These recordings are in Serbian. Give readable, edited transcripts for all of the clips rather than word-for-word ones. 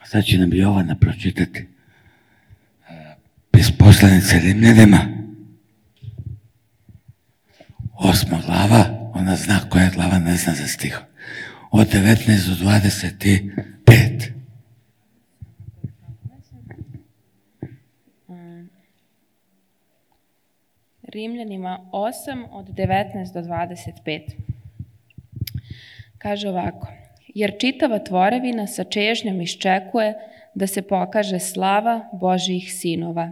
Sad će nam Jovana pročitati iz poslanice Rimljanima, 8. glava, ona zna koja je glava, ne zna za stih, od 19 do 25. Rimljanima 8 od 19 do 25. Kaže ovako: jer čitava tvorevina sa čežnjom iščekuje da se pokaže slava Božijih sinova.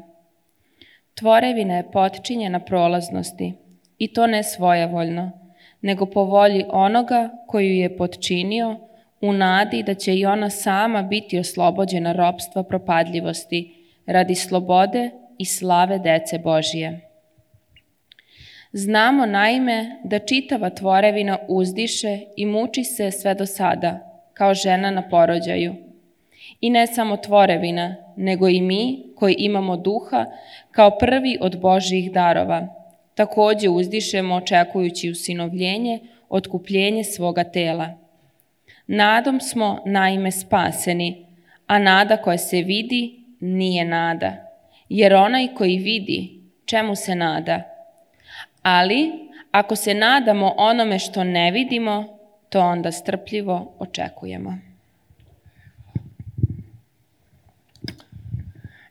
Tvorevina je potčinjena prolaznosti, i to ne svojevoljno, nego po volji onoga koji ju je potčinio, u nadi da će i ona sama biti oslobođena ropstva propadljivosti radi slobode i slave dece Božije. Znamo naime da čitava tvorevina uzdiše i muči se sve do sada, kao žena na porođaju. I ne samo tvorevina, nego i mi koji imamo duha kao prvi od Božjih darova, takođe uzdišemo očekujući usinovljenje, otkupljenje svoga tela. Nadom smo naime spaseni, a nada koja se vidi nije nada, jer onaj koji vidi, čemu se nada? Ali, ako se nadamo onome što ne vidimo, to onda strpljivo očekujemo.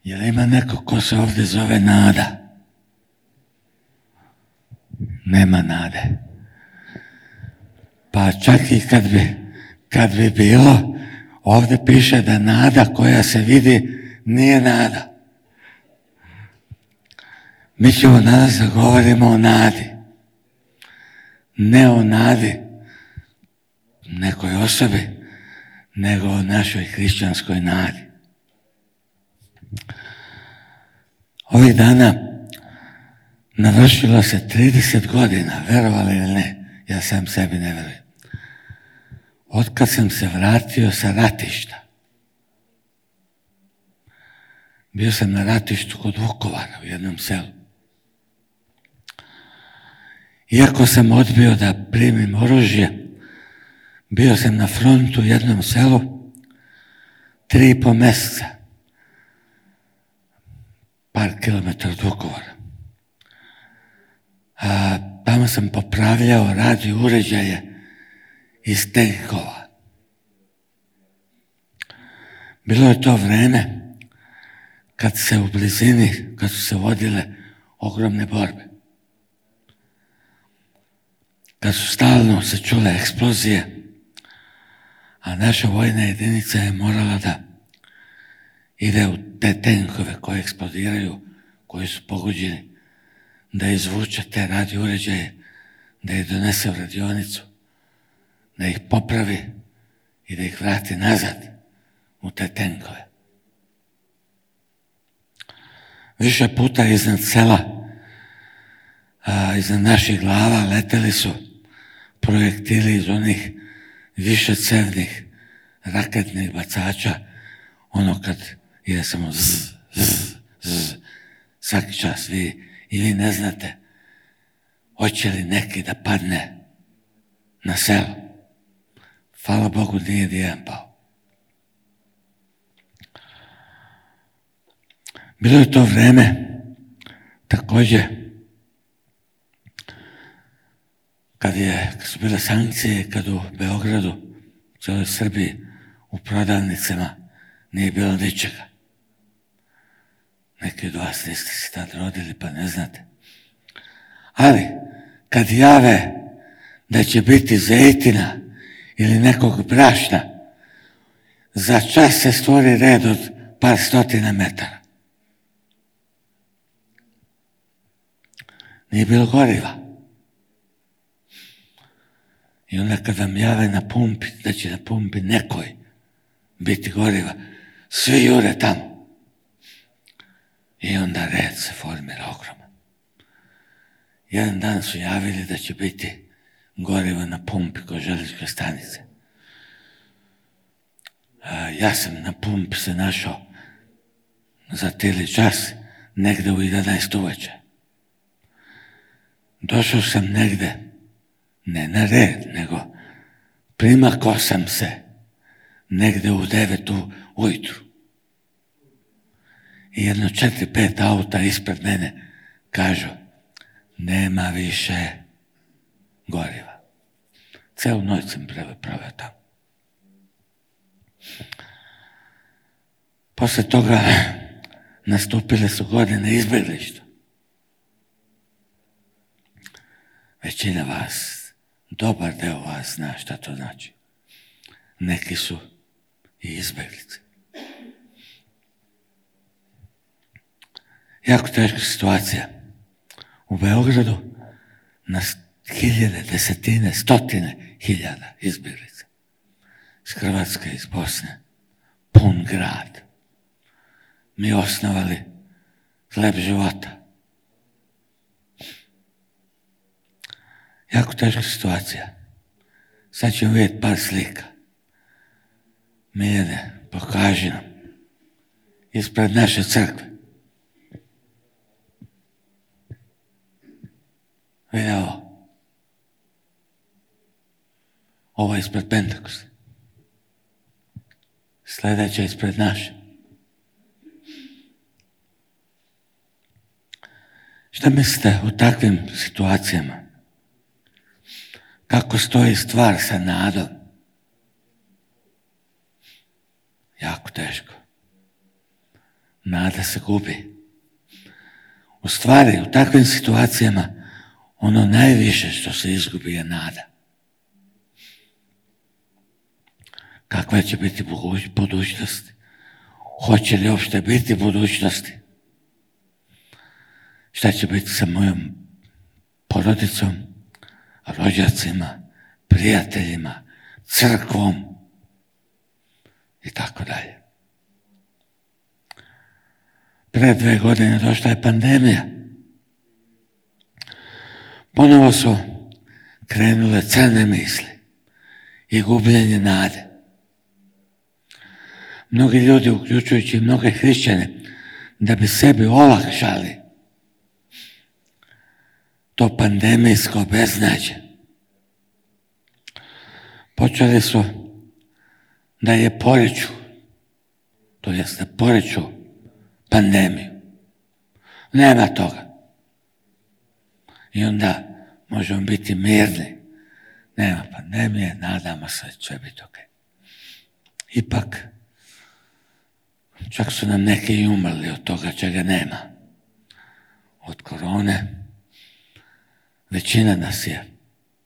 Jel ima neko ko se ovdje zove nada? Nema nade. Pa čak i kad bi bilo, ovdje piše da nada koja se vidi nije nada. Mi ćemo danas da govorimo o nadi. Ne o nadi nekoj osobi, nego o našoj hrišćanskoj nadi. Ovih dana navršilo se 30 godina, verovali ili ne, ja sam sebi ne verujem. Otkad sam se vratio sa ratišta. Bio sam na ratištu kod Vukovara u jednom selu. Iako sam odbio da primim oružje, bio sam na frontu u jednom selu 3,5 mjeseca, par kilometara od Vukovara. Tamo sam popravljao radio uređaje iz tenkova. Bilo je to vreme kad se u blizini, kad su se vodile ogromne borbe. Kad su stalno se čule eksplozije, a naša vojna jedinica je morala da ide u te tenkove koje eksplodiraju, koji su pogođeni, da izvuče te radio uređaje, da ih donese u radionicu, da ih popravi i da ih vrati nazad u te tenkove. Više puta iznad sela, iznad naših glava leteli su projektili iz onih višecevnih raketnih bacača, ono kad ide samo zzz, zzz, zzz, svaki čas i vi ne znate hoće li neki da padne na selo. Hvala Bogu nije nijedan pao. Bilo je to vreme također kad su bile sankcije, kad u Beogradu, u cijeloj Srbiji, u prodavnicama nije bilo ničega. Neki od vas niste se tad rodili pa ne znate. Ali kad jave da će biti zejtina ili nekog brašna, za čas se stvori red od par stotina metara. Nije bilo goriva. I onda kad vam jave na pumpi, da će na pumpi nekoj biti goriva, svi jure tamo. I onda red se formira ogroman. Jedan dan su javili da će biti goriva na pumpi kod železničke stanice. Ja sam na pumpi se našao za tili čas, negde u 11 uveče. Došao sam negde, ne na red, nego primakao sam se negde u 9 ujutru. I jedno 4-5 auta ispred mene kažu, nema više goriva. Celu noć sam proveo tamo. Posle toga nastupile su godine izbjeglištva. Većina vas, dobar deo vas zna šta to znači. Neki su i izbjeglice. Jako teška situacija. U Beogradu na hiljade, desetine, stotine hiljada izbjeglica. Iz Hrvatske, iz Bosne. Pun grad. Mi osnovali hleb života. Jako teška situacija. Sad ćemo vidjeti par slika. Miljane, pokaži nam. Ispred naše crkve. Vidi ovo. Ovo je ispred Pentekosta. Sljedeće je ispred naše. Šta mislite u takvim situacijama? Kako stoji stvar sa nadom? Jako teško. Nada se gubi. U stvari, u takvim situacijama, ono najviše što se izgubi je nada. Kakva će biti budućnost? Hoće li uopšte biti budućnosti? Šta će biti sa mojom porodicom, rođacima, prijateljima, crkvom i tako dalje. Pre 2 godine došla je pandemija. Ponovo su krenule crne misli i gubljenje nade. Mnogi ljudi, uključujući mnoge hrišćane, da bi sebi olakšali to pandemijsko beznađe, počeli su da je poriču, to jest da poriču pandemiju. Nema toga. I onda možemo biti mirni. Nema pandemije, nadamo se da će biti ok. Ipak, čak su nam neki i umrli od toga čega nema. Od korone. Većina nas je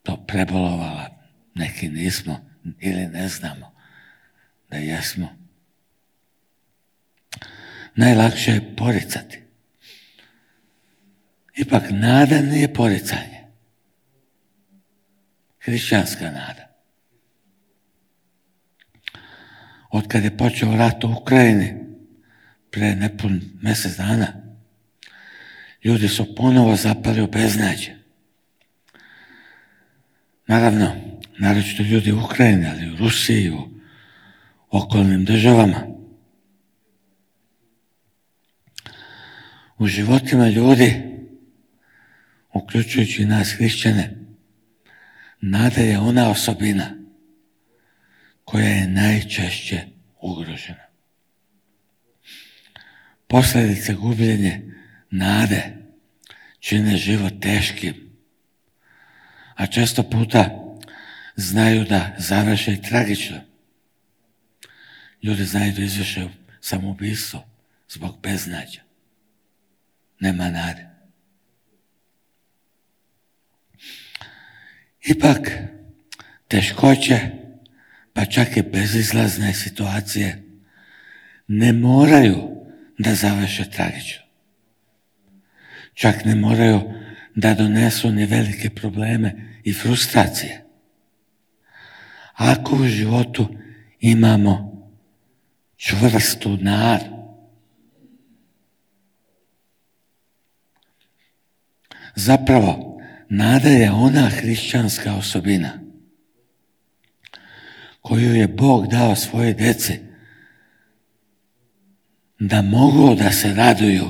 to prebolovala, neki nismo ili ne znamo da jesmo. Najlakše je poricati. Ipak nada nije poricanje. Hrišćanska nada. Od kad je počeo rat u Ukrajini, pre nepun mjesec dana, ljudi su ponovo zapali u beznađe. Naravno, naročito ljudi u Ukrajini, ali u Rusiji, u okolnim državama. U životima ljudi, uključujući nas hrišćane, nada je ona osobina koja je najčešće ugrožena. Posljedice gubljenja nade čine život teškim, a često puta znaju da završe i tragično. Ljudi znaju da izvrše samoubistvo zbog beznađa. Nema nade. Ipak, teškoće, pa čak i bezizlazne situacije, ne moraju da završe tragično. Čak ne moraju da donesu ni velike probleme i frustracije. Ako u životu imamo čvrstu nadu, zapravo, nada je ona hrišćanska osobina koju je Bog dao svoje djeci da mogu da se raduju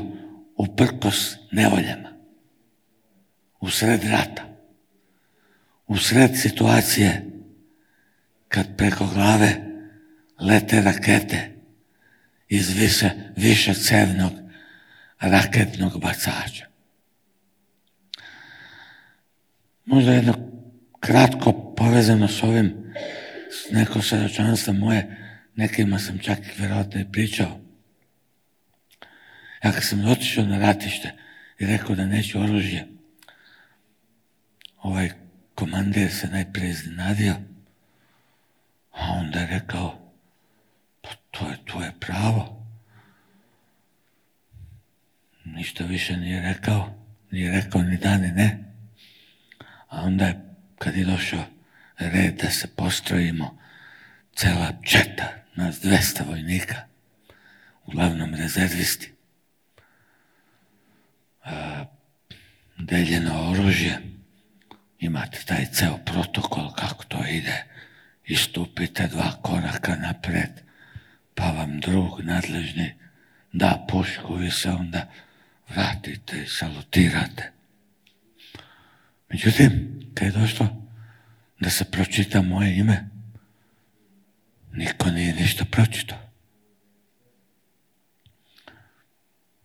uprkos nevoljama, usred rata, usred situacije kad preko glave lete rakete iz višecevnog raketnog bacača. Možda jedno kratko povezano s ovim, neko svjedočanstvo moje, nekima sam čak vjerojatno i pričao. Ja kad sam otišao na ratište i rekao da neću oružje, ovaj komandir se najprije iznenadio, a onda je rekao, pa to je tvoje pravo. Ništa više nije rekao ni da ni ne. A onda je, kad je došao red da se postrojimo, cela četa, nas 200 vojnika, uglavnom rezervisti, deljeno oružje, imate taj ceo protokol kako to ide, istupite 2 koraka napred, pa vam drug nadležni da pušku, vi se onda vratite i salutirate. Međutim, kad je došlo da se pročita moje ime, niko nije ništa pročitao.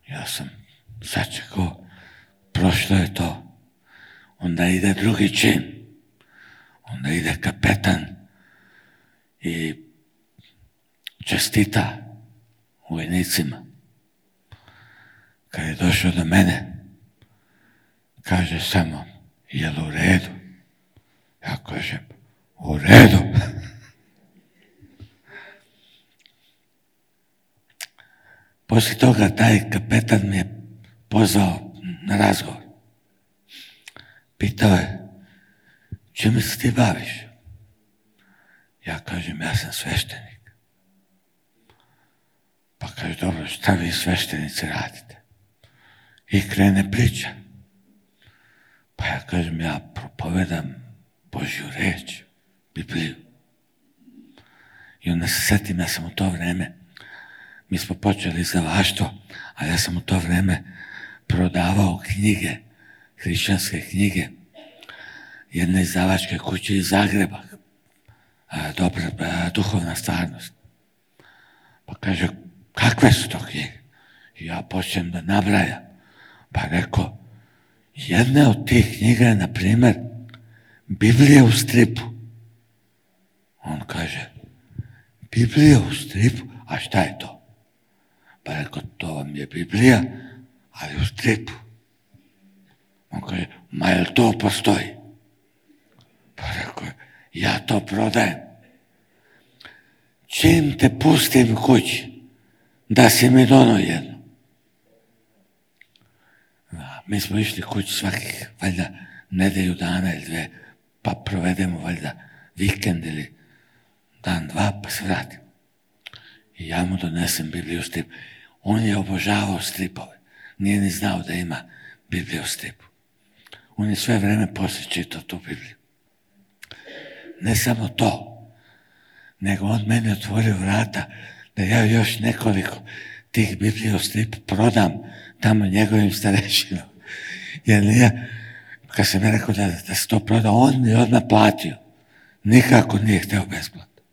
Ja sam sačekao, prošlo je to. Onda ide drugi čin. Onda ide kapetan i čestita vojnicima. Kad je došao do mene, kaže samo, jel u redu? Ja kažem, u redu. Poslije toga taj kapetan mi je pozvao na razgovor. Pitao je, čime se ti baviš? Ja kažem, ja sam sveštenik. Pa kaže, dobro, šta vi sveštenici radite? I krene priča. Pa ja kažem, ja propovedam Božju reč, Bibliju. I onda se setim, ja sam u to vreme, mi smo počeli izdavaštvo, a ja sam u to vreme prodavao knjige, hrišćanske knjige, jedne izdavačke kuće iz Zagreba, duhovna stvarnost. Pa kaže, kakve su to knjige? I ja počnem da nabrajam. Pa rekao, jedna od tih knjiga je, na primjer, Biblija u stripu. On kaže, Biblija u stripu? A šta je to? Pa rekao, to vam je Biblija, ali u stripu. On kaže, ma jel to postoji? Pa rekao, ja to prodajem. Čim te pustim kući, da si mi dono jedno. Mi smo išli kući svakih, valjda, nedelju dana ili 2, pa provedemo, valjda, vikend ili dan, 2, pa se vratim. I ja mu donesem Bibliju u stripu. On je obožavao stripove. Nije ni znao da ima Bibliju u stripu. On je sve vreme poslije čitao tu Bibliju. Ne samo to, nego on meni otvorio vrata da ja još nekoliko tih Biblija u stripu prodam tamo njegovim starešinom. Jer nije, kad sam ja rekao da se to proda, on mi je odmah platio. Nikako nije hteo besplatno.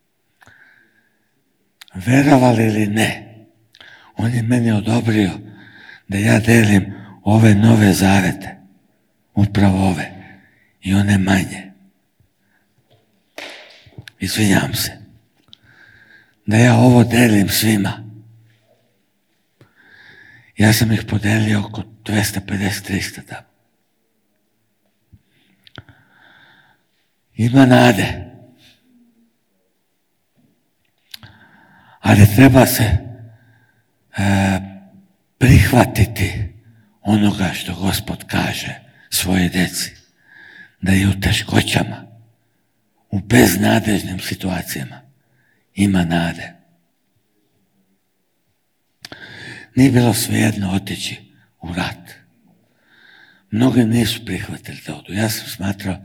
Verovali ili ne, on je meni odobrio da ja delim ove nove zavete, upravo ove, i one manje. Izvinjam se, da ja ovo delim svima. Ja sam ih podelio oko 250-300 tamo. Ima nade. Ali treba se prihvatiti onoga što Gospod kaže svoje djeci, da je u teškoćama, u beznadežnim situacijama ima nade. Nije bilo svejedno otići u rat. Mnogi nisu prihvatili da odu. Ja sam smatrao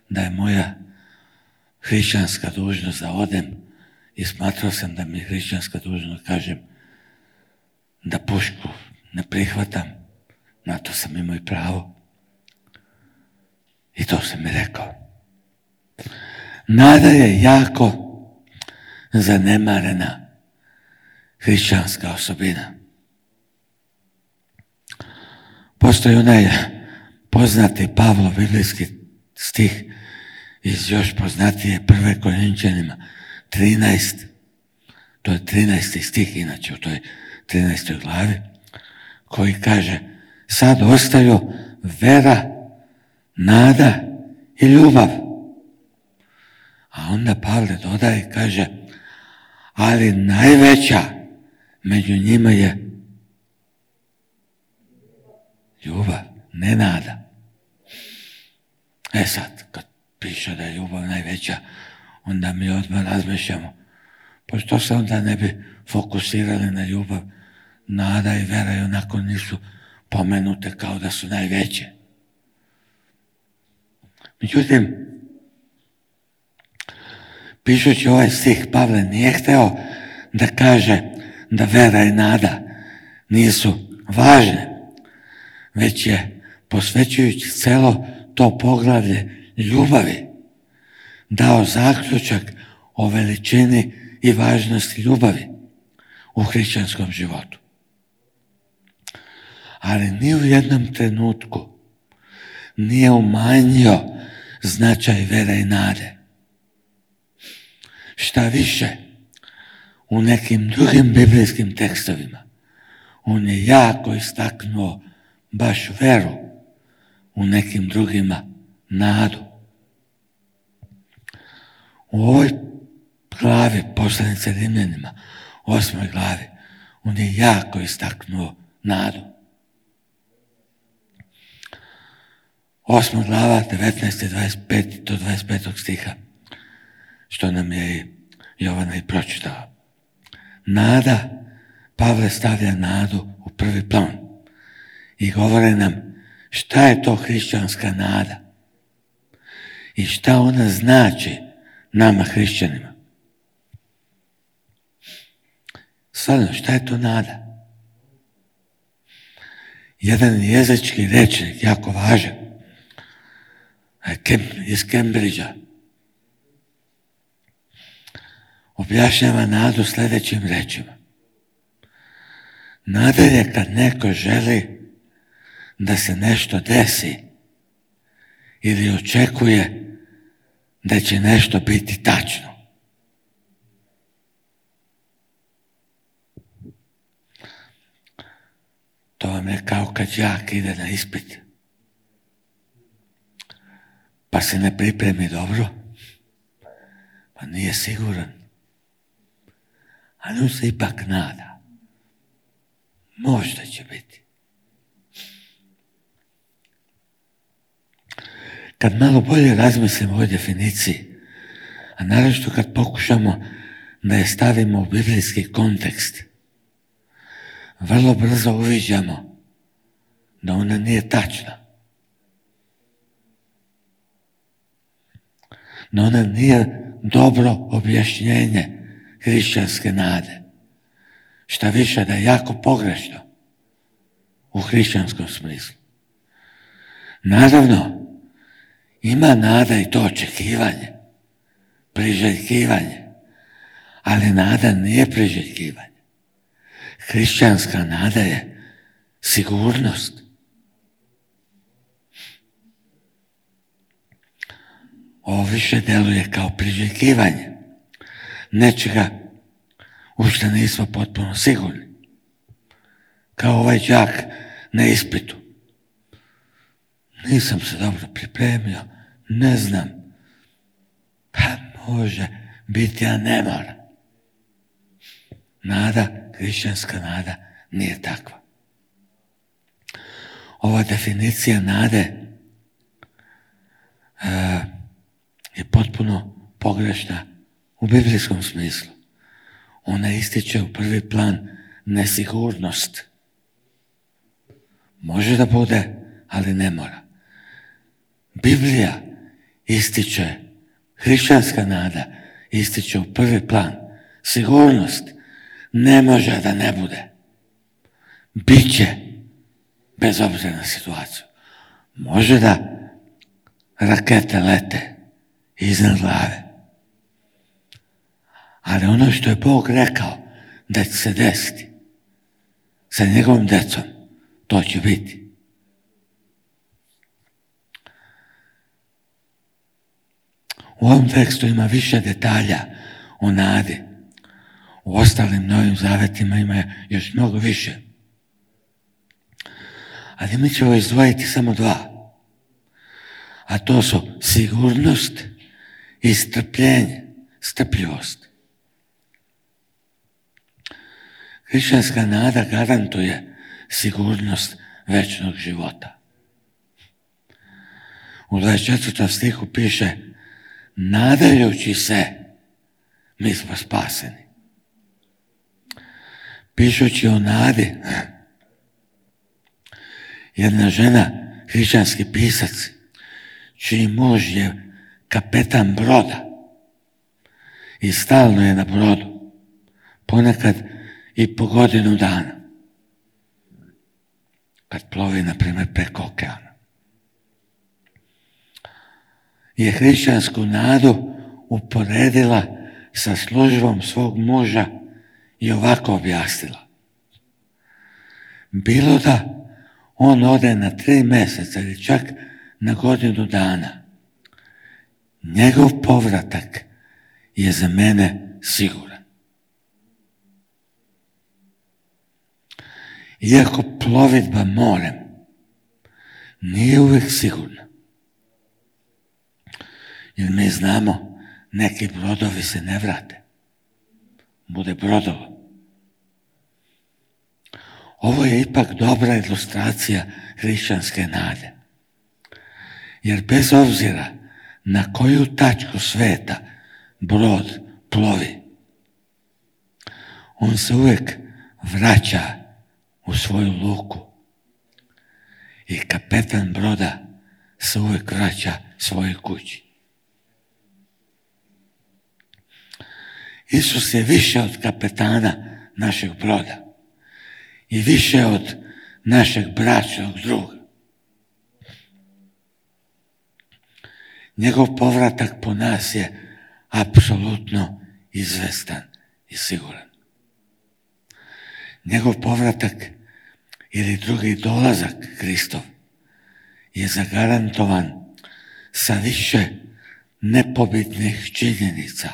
da je moja hrišćanska dužnost da odem i smatrao sam da mi je hrišćanska dužnost, kažem, da pušku ne prihvatam. Na to sam imao i pravo. I to sam mi rekao. Nada je jako zanemarena hrišćanska osobina. Postoji onaj poznati Pavlov biblijski stih iz još poznatije 1. Korinčanima 13. To je 13. stih inače u toj 13. glavi, koji kaže: sad ostaju vera, nada i ljubav. A onda Pavle dodaje i kaže: ali najveća među njima je ljubav, ne nada. Sad, kad piše da je ljubav najveća, onda mi odmah razmišljamo, pa što se onda ne bi fokusirali na ljubav? Nada i vera i onako nisu pomenute kao da su najveće. Međutim, pišući ovaj stih, Pavle nije hteo da kaže da vera i nada nisu važne, već je, posvećujući celo to poglavlje ljubavi, dao zaključak o veličini i važnosti ljubavi u hrišćanskom životu. Ali ni u jednom trenutku nije umanjio značaj vere i nade. Šta više, u nekim drugim biblijskim tekstovima on je jako istaknuo baš veru, u nekim drugima nadu. U ovoj glavi poslanice Rimljanima, 8. glavi, on je jako istaknuo nadu. 8. glava, 19. 25. do 25. stiha, što nam je i Jovana i pročitala. Nada, Pavle stavlja nadu u prvi plan i govore nam šta je to hrišćanska nada i šta ona znači nama hrišćanima. Stvarno, šta je to nada? Jedan jezički rečnik, jako važan, iz Cambridgea, objašnjava nadu sljedećim rečima. Nada je kad neko želi da se nešto desi ili očekuje da će nešto biti tačno. To vam je kao kad đak ide na ispit, pa se ne pripremi dobro, pa nije siguran, ali on se ipak nada. Možda će biti. Kad malo bolje razmislimo o ovoj definiciji, a naročito kad pokušamo da je stavimo u biblijski kontekst, vrlo brzo uviđamo da ona nije tačna. Da ona nije dobro objašnjenje hrišćanske nade. Šta više, da je jako pogrešno u hrišćanskom smislu. Naravno, ima nada i to očekivanje, priželjkivanje, ali nada nije priželjkivanje. Hrišćanska nada je sigurnost. Ovo više deluje kao priželjkivanje nečega u što nismo potpuno sigurni. Kao ovaj đak na ispitu. Nisam se dobro pripremio, ne znam. Pa može biti, a ne mora. Nada, hrišćanska nada, nije takva. Ova definicija nade je potpuno pogrešna u biblijskom smislu. Ona ističe u prvi plan nesigurnost. Može da bude, ali ne mora. Biblija ističe, hrišćanska nada ističe u prvi plan sigurnost. Ne može da ne bude. Biće, bez obzira na situaciju. Može da rakete lete iznad glave, Ali ono što je Bog rekao da će se desiti sa njegovom decom, to će biti. U ovom tekstu ima više detalja o nadi. U ostalim Novim Zavetima ima još mnogo više. Ali mi ćemo izdvojiti samo dva. A to su sigurnost i strpljenje, strpljivost. Hrišćanska nada garantuje sigurnost večnog života. U 24. stihu piše: nadajući se, mi smo spaseni. Pišući o nadi, jedna žena, hrišćanski pisac, čiji muž je kapetan broda i stalno je na brodu, ponekad i po godinu dana, kad plovi, na primjer, preko okeana, je hrišćansku nadu uporedila sa službom svog muža i ovako objasnila: bilo da on ode na 3 mjeseca ili čak na godinu dana, njegov povratak je za mene siguran. Iako plovidba morem nije uvijek sigurna, jer mi znamo, neki brodovi se ne vrate. Bude brodova. Ovo je ipak dobra ilustracija hrišćanske nade. Jer bez obzira na koju tačku sveta brod plovi, on se uvijek vraća u svoju luku. I kapetan broda se uvijek vraća svojoj kući. Isus je više od kapetana našeg broda i više od našeg bračnog druga. Njegov povratak po nas je apsolutno izvestan i siguran. Njegov povratak ili drugi dolazak Kristov je zagarantovan sa više nepobitnih činjenica.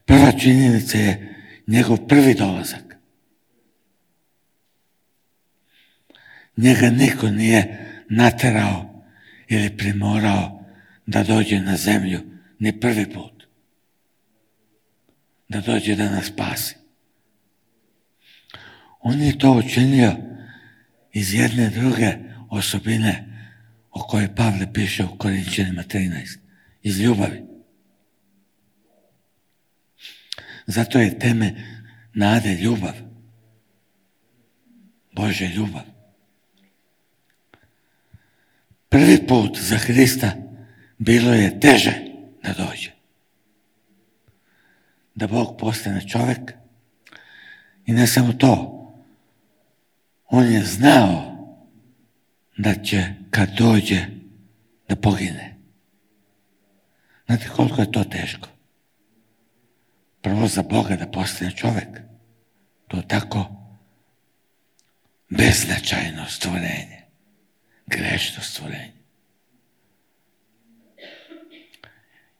Prva činjenica je njegov prvi dolazak. Njega niko nije naterao ili primorao da dođe na zemlju ni prvi put. Da dođe da nas spasi. On je to učinio iz jedne druge osobine o kojoj Pavle piše u Korinčanima 13. Iz ljubavi. Zato je temelj nade ljubav. Božja ljubav. Prvi put za Hrista bilo je teže da dođe. Da Bog postane čovjek. I ne samo to. On je znao da će kad dođe da pogine. Znate koliko je to teško? Prvo za Boga da postane čovjek. To je tako beznačajno stvorenje. Grešno stvorenje.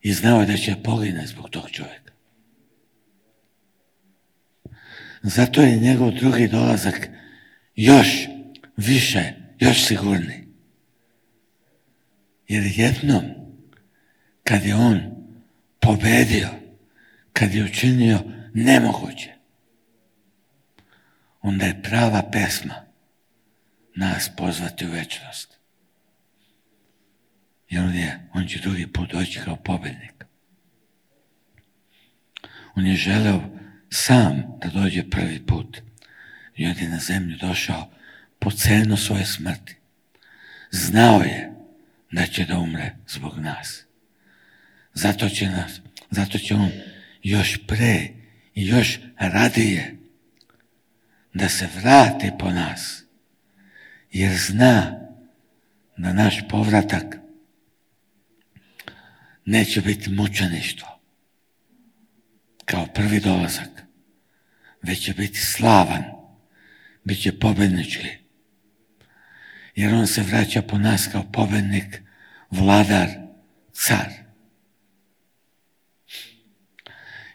I znao je da će pogine zbog tog čovjeka. Zato je njegov drugi dolazak još više, još sigurniji. Jer jednom, kad je on pobedio, kad je učinio nemoguće, onda je prava pesma nas pozvati u večnost. Jer on će drugi put doći kao pobjednik. On je želeo sam da dođe prvi put. I on je na zemlju došao po cenu svoje smrti. Znao je da će da umre zbog nas. Zato će on još pre i još radije da se vrati po nas. Jer zna da naš povratak neće biti mučeništvo, kao prvi dolazak, već će biti slavan, bit će pobjednički. Jer on se vraća po nas kao pobjednik, vladar, car.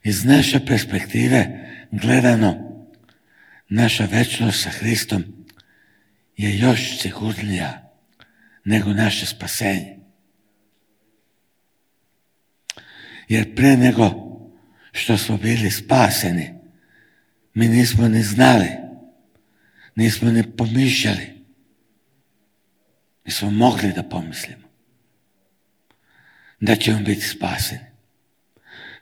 Iz naše perspektive gledano, naša večnost sa Hristom je još sigurnija nego naše spasenje. Jer pre nego što smo bili spaseni, mi nismo ni znali, nismo ni pomišljali, nismo mogli da pomislimo da ćemo biti spaseni.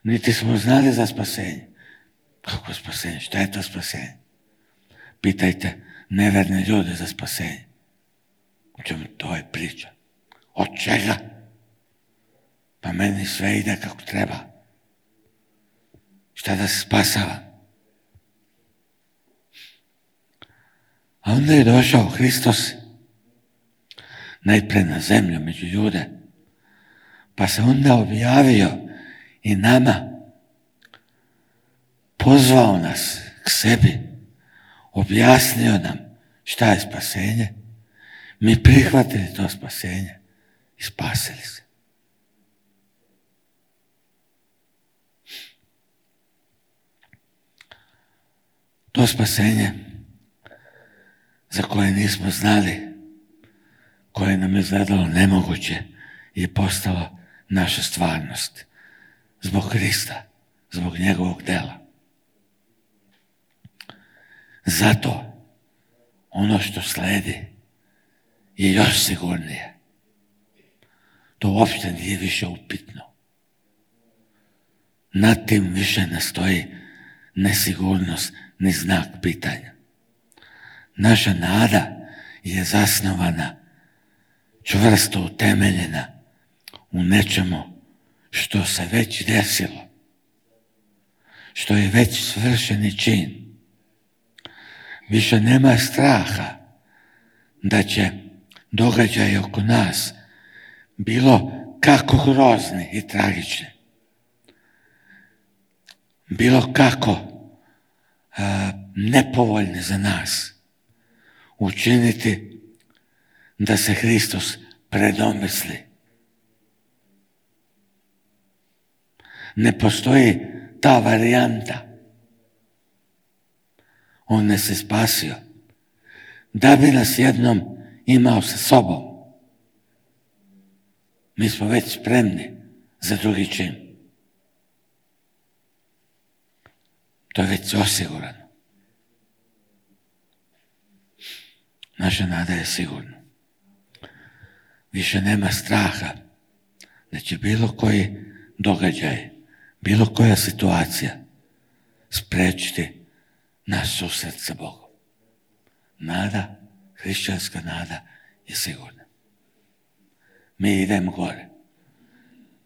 Niti smo znali za spasenje. Kako spasenje? Šta je to spasenje? Pitajte neverne ljude za spasenje. O čemu to je priča? Od čega? Pa meni sve ide kako treba. Šta da se spasava? A onda je došao Hristos najpre na zemlju među ljude, pa se onda objavio i nama, pozvao nas k sebi, objasnio nam šta je spasenje, mi prihvatili to spasenje i spasili se. To spasenje za koje nismo znali, koje nam je izgledalo nemoguće, je postalo naša stvarnost. Zbog Krista, zbog njegovog dela. Zato ono što sledi je još sigurnije. To uopšte nije više upitno. Nad tim više ne stoji nesigurnost ni znak pitanja. Naša nada je zasnovana, čvrsto utemeljena u nečemu što se već desilo, što je već svršeni čin. Više nema straha da će događaji oko nas bilo kako grozni i tragični, bilo kako nepovoljni za nas, učiniti da se Hristos predomisli. Ne postoji ta varijanta. On nas je spasio da bi nas jednom imao sa sobom. Mi smo već spremni za drugi čin. To je već osigurano. Naša nada je sigurna. Više nema straha da će bilo koji događaj, bilo koja situacija sprečiti naš susret sa Bogom. Nada, hrišćanska nada je sigurna. Mi idemo gore.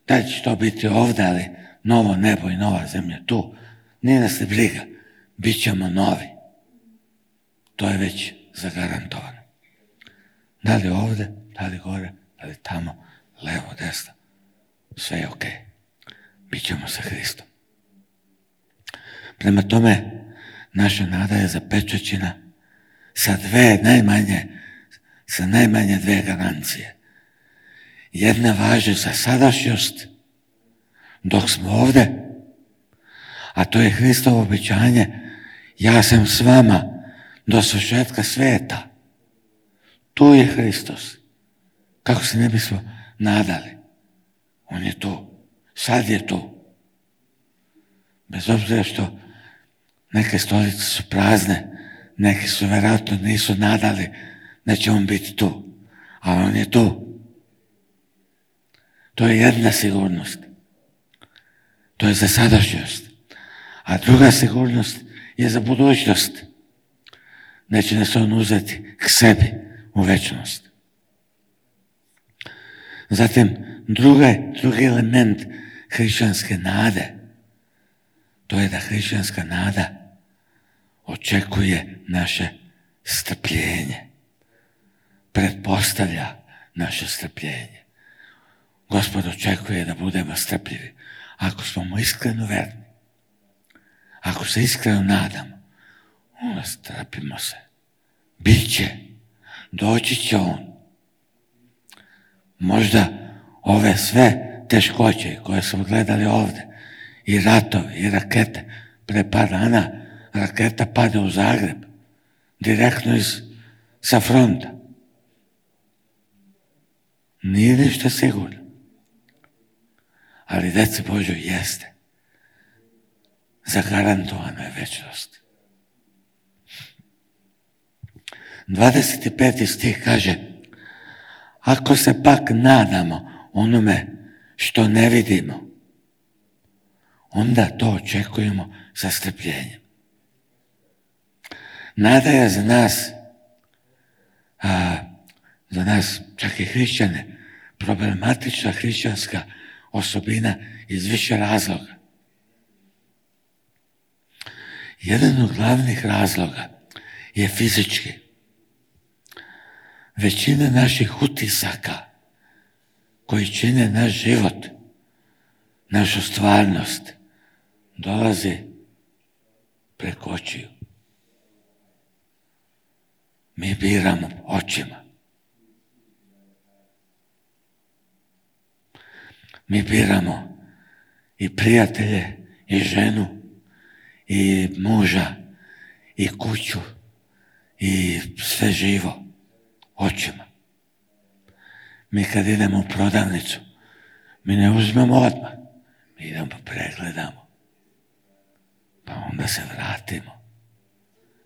Da će to biti ovdje, ali novo nebo i nova zemlja tu. Nije nas ne briga. Bićemo novi. To je već zagarantovano. Da li ovdje, da li gore, da li tamo, levo, desno. Sve je ok. Bićemo sa Hristom. Prema tome, naša nada je zapečaćena sa najmanje dve garancije. Jedna važi za sadašnjost dok smo ovdje, a to je Hristovo obećanje: ja sam s vama do svršetka svijeta. Tu je Hristos. Kako se ne bismo nadali? On je tu. Sad je tu. Bez obzira što neke stolice su prazne, neki su vjerojatno nisu nadali da će on biti tu. Ali on je tu. To je jedna sigurnost. To je za sadašnjost. A druga sigurnost je za budućnost. Neće nas on uzeti k sebi u večnost. Zatim, drugi element hrišćanske nade, to je da hrišćanska nada očekuje naše strpljenje. Pretpostavlja naše strpljenje. Gospod očekuje da budemo strpljivi ako smo mu iskreno verni. ako se iskreno nadamo, onda strpimo se. Biće, doći će on. Možda ove sve teškoće koje smo gledali ovdje, i ratovi, i rakete, pre par dana raketa pade u Zagreb, direktno sa fronta. Nije ništa sigurno. Ali deci Božoj jeste. Zagarantovana je večnost. 25. stih kaže: ako se pak nadamo onome što ne vidimo, onda to očekujemo sa strpljenjem. Nada je za nas, čak i hrišćane, problematična hrišćanska osobina iz više razloga. Jedan od glavnih razloga je fizički. Većina naših utisaka koji čine naš život, našu stvarnost, dolazi preko očiju. Mi biramo očima. Mi biramo i prijatelje, i ženu, i muža, i kuću, i sve živo očima. Mi kad idemo u prodavnicu, mi ne uzmemo odmah. Mi idemo pa pregledamo. Pa onda se vratimo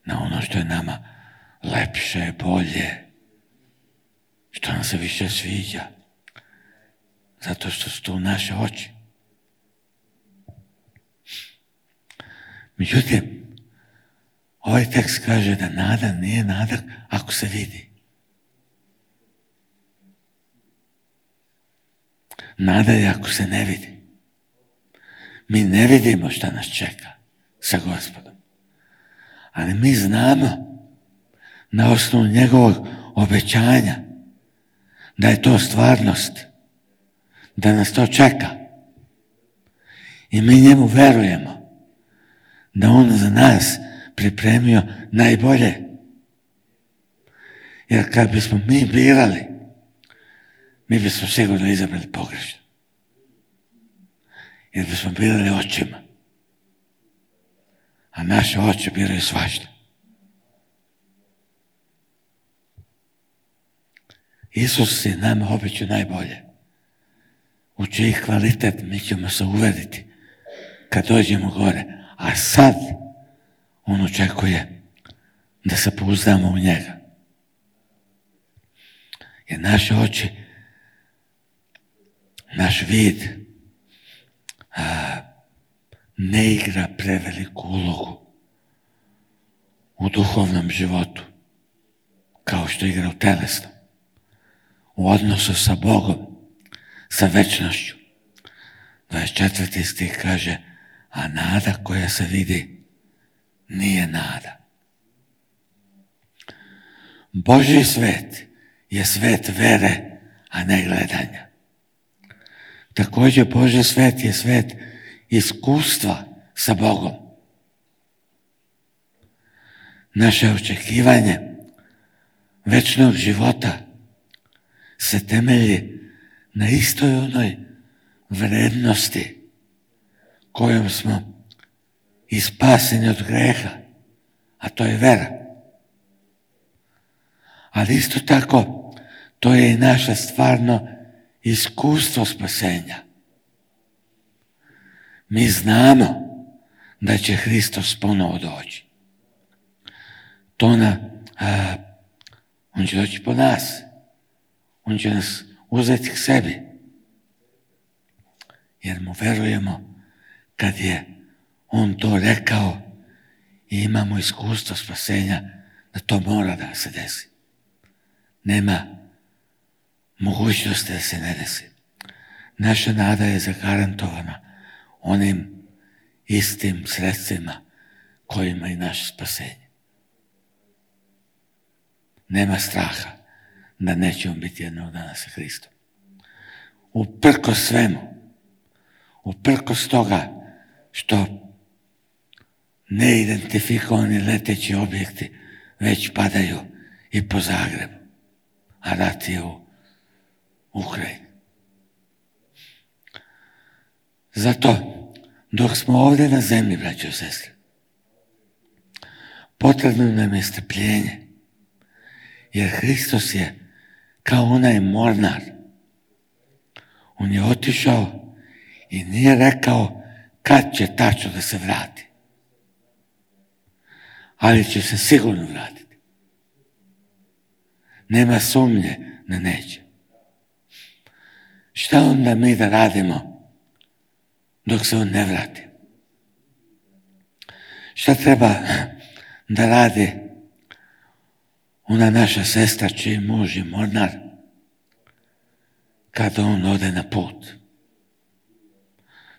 na ono što je nama lepše, bolje, što nam se više sviđa. Zato što su tu naše oči. Međutim, ovaj tekst kaže da nada nije nada ako se vidi. Nada je ako se ne vidi. Mi ne vidimo šta nas čeka sa Gospodom. Ali mi znamo na osnovu njegovog obećanja da je to stvarnost, da nas to čeka. I mi njemu verujemo da on za nas pripremio najbolje. Jer kad bismo mi birali, mi bismo sigurno izabrali pogrešno. Jer bismo birali očima. A naše oči biraju svašta. Isus je nama obećao najbolje. U čiji kvalitet mi ćemo se uveriti kad dođemo gore. A sad on očekuje da se pouzdamo u njega. Jer naše oči, naš vid ne igra preveliku ulogu u duhovnom životu kao što igra u telesnom. U odnosu sa Bogom, sa večnošću. 24. stih kaže: a nada koja se vidi nije nada. Božji svet je svet vere, a ne gledanja. Također Božji svet je svet iskustva sa Bogom. Naše očekivanje večnog života se temelji na istoj onoj vrednosti kojom smo i spaseni od greha, a to je vera. Ali isto tako, to je i naše stvarno iskustvo spasenja. Mi znamo da će Hristos ponovo doći. On će doći po nas. On će nas uzeti k sebi. Jer mu verujemo kad je on to rekao i imamo iskustvo spasenja da to mora da se desi. Nema mogućnosti da se ne desi. Naša nada je zagarantovana onim istim sredstvima kojima i naše spasenje. Nema straha da nećemo biti jednog dana sa Hristom. Uprkos svemu, uprkos toga što neidentifikovani leteći objekti već padaju i po Zagrebu, a rat je u Ukrajini. Zato, dok smo ovdje na zemlji, braćo i sestre, potrebno nam je strpljenje, jer Hristos je kao onaj mornar. On je otišao i nije rekao kad će tačno da se vrati, ali će se sigurno vratiti. Nema sumnje da neće. Šta onda mi da radimo dok se on ne vrati? Šta treba da radi ona naša sestra čiji muž je mornar kada on ode na put?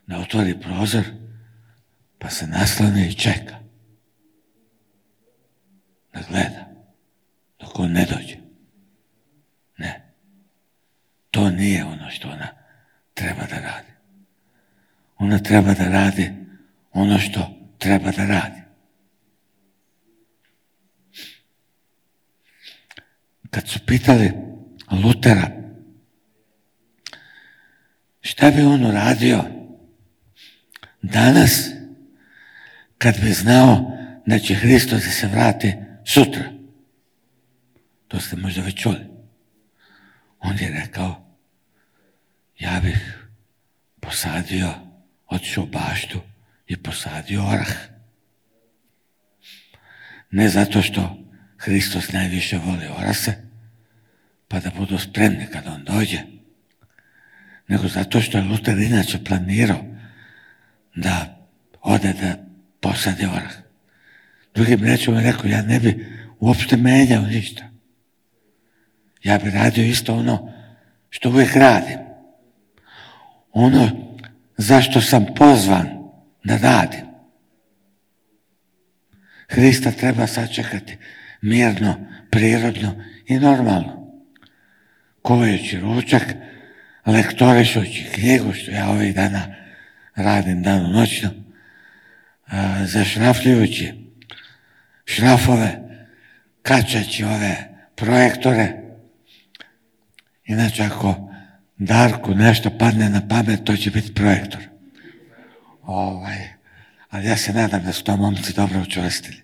Da otvori prozor pa se nasloni i čeka. Da gleda dok on ne dođe. Ne. To nije ono što ona treba da radi. Ona treba da radi ono što treba da radi. Kad su pitali Lutera šta bi on uradio danas kad bi znao da će Hristos da se vrati sutra, to ste možda već čuli, on je rekao ja bih posadio, otišao u baštu i posadio orah. Ne zato što Hristos najviše voli orase, pa da budu spremni kad on dođe, nego zato što je Luter inače planirao da ode da posadi orah. Drugim rečima je rekao, ja ne bi uopšte menjao ništa. Ja bi radio isto ono što uvijek radim. Ono zašto sam pozvan da radim. Hrista treba sačekati mirno, prirodno i normalno. Kuvajući ručak, lektorišući knjigu, što ja ovih dana radim danonoćno, zašrafljujući šrafove, kačaći ove projektore. Inače, ako Darku nešto padne na pamet, to će biti projektor. Ali ja se nadam da su to momci dobro učvrstili.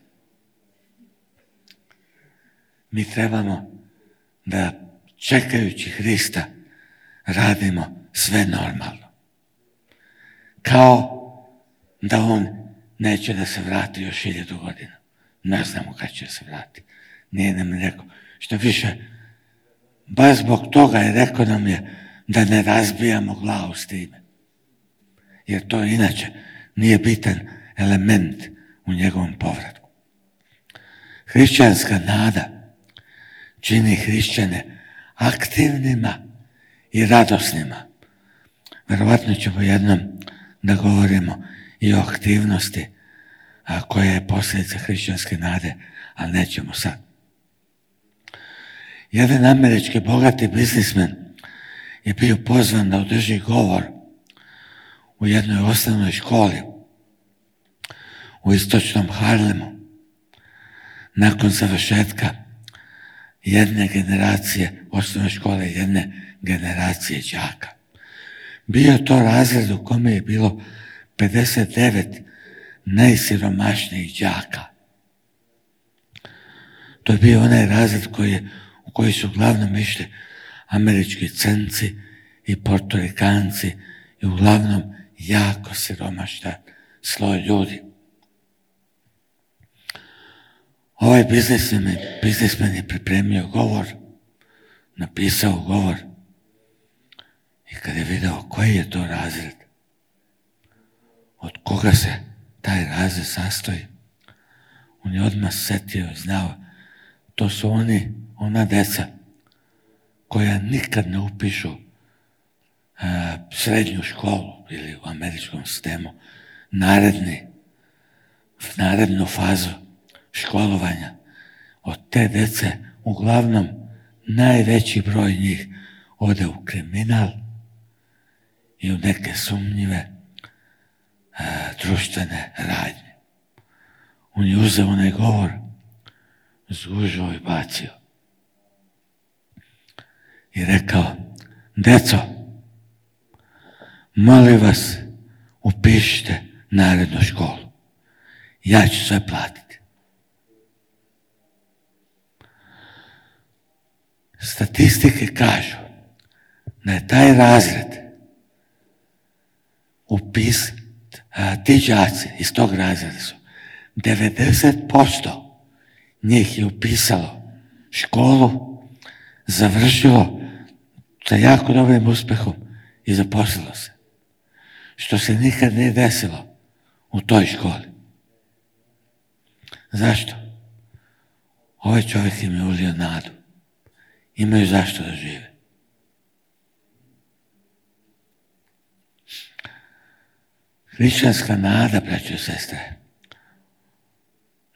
Mi trebamo da čekajući Hrista radimo sve normalno. Kao da on neće da se vrati još 1000 godina. Ne znamo kad će se vrati. Nije nam rekao. Što više, baš zbog toga je rekao nam je da ne razbijamo glavu s time. Jer to inače nije bitan element u njegovom povratku. Hrišćanska nada čini hrišćane aktivnima i radosnima. Verovatno ćemo jednom da govorimo i o aktivnosti koja je posljedica hrišćanske nade, ali nećemo sad. Jedan američki bogati biznismen je bio pozvan da održi govor u jednoj osnovnoj školi u istočnom Harlemu nakon završetka jedne generacije osnovne škole, jedne generacije đaka. Bio je to razred u kome je bilo 59 najsiromašnijih đaka. To je bio onaj razred u koji su uglavnom išli američki crnci i portorikanci i uglavnom jako siromašan sloj ljudi. Ovaj biznismen je pripremio govor, napisao govor i kad je video koji je to razred, od koga se taj razred sastoji, on je odmah setio i znao, to su ona deca koja nikad ne upišu srednju školu ili u američkom sistemu narednu fazu školovanja. Od te dece uglavnom najveći broj njih ode u kriminal i u neke sumnjive društvene radnje. On je uzeo onaj govor, zgužao i bacio. I rekao, deco, molim vas, upišite narednu školu. Ja ću sve platiti. Statistike kažu da je taj razred ti đaci iz tog razreda su 90% njih je upisalo školu, završilo sa jako dobrim uspehom i zaposlilo se. Što se nikad nije desilo u toj školi. Zašto? Ovaj čovjek im je ulio nadu. Imaju zašto da žive. Hrišćanska nada, braćo i sestre,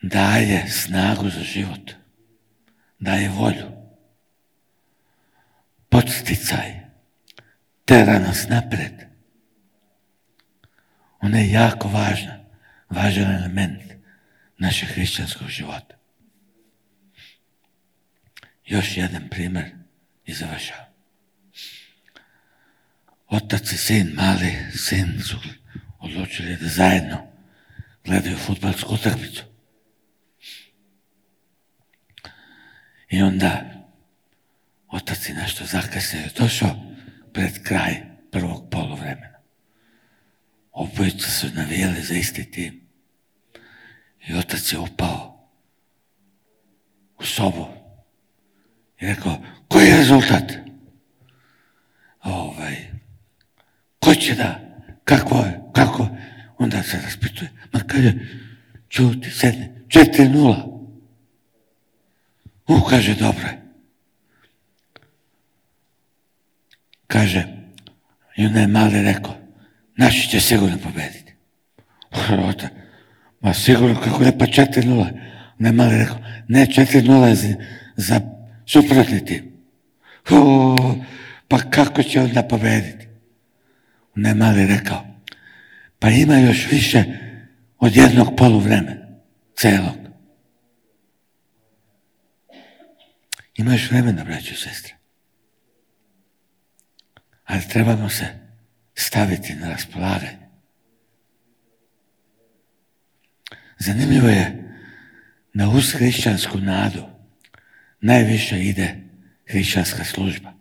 daje snagu za život, daje volju, podsticaj, tera nas napred. Ona je jako važan element našeg hrišćanskog života. Još jedan primjer i završavam. Otac i sin, mali sin su odlučili da zajedno gledaju fudbalsku utakmicu. I onda otac je nešto zakasnio, došao pred kraj prvog poluvremena. Obojica su navijali za isti tim. I otac je upao u sobu i rekao, koji je rezultat? Ko će da? Kako? Onda se raspituje. Ma kaže, čuti, sedne, 4-0. Kaže, dobro je. Kaže, i onda je mali rekao, naši će sigurno pobediti. Ma sigurno, kako ne, pa 4-0. Onda je mali rekao, ne, 4-0 je za suprotni tim. Pa kako će onda pobediti? Onda je mali rekao, pa ima još više od jednog poluvremena, celog. Ima još vremena, braćo i sestre. Ali trebamo se staviti na raspolaganje. Zanimljivo je da uz hrišćansku nadu najviše ide hrišćanska služba.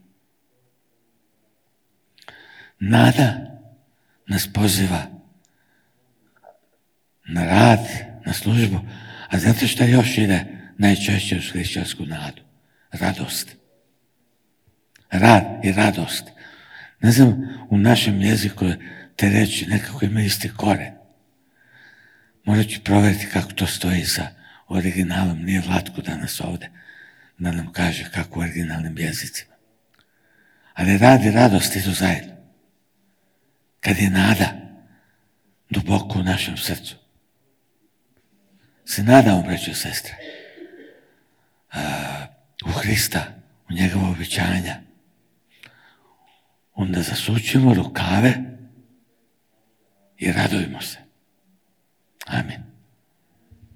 Nada nas poziva na rad, na službu, a znate šta još ide najčešće uz hrišćansku nadu? Radost. Rad i radost. Ne znam, u našem jeziku te reči nekako ima isti koren. Morat ću provjeriti kako to stoji sa originalom. Nije Vlatko danas ovdje da nam kaže kako u originalnim jezicima. Ali rad i radost idu zajedno. Kad je nada duboko u našem srcu. Se nadamo, braćo i sestre, u Hrista, u njegova obećanja. Onda zasučimo rukave i radujmo se. Amin.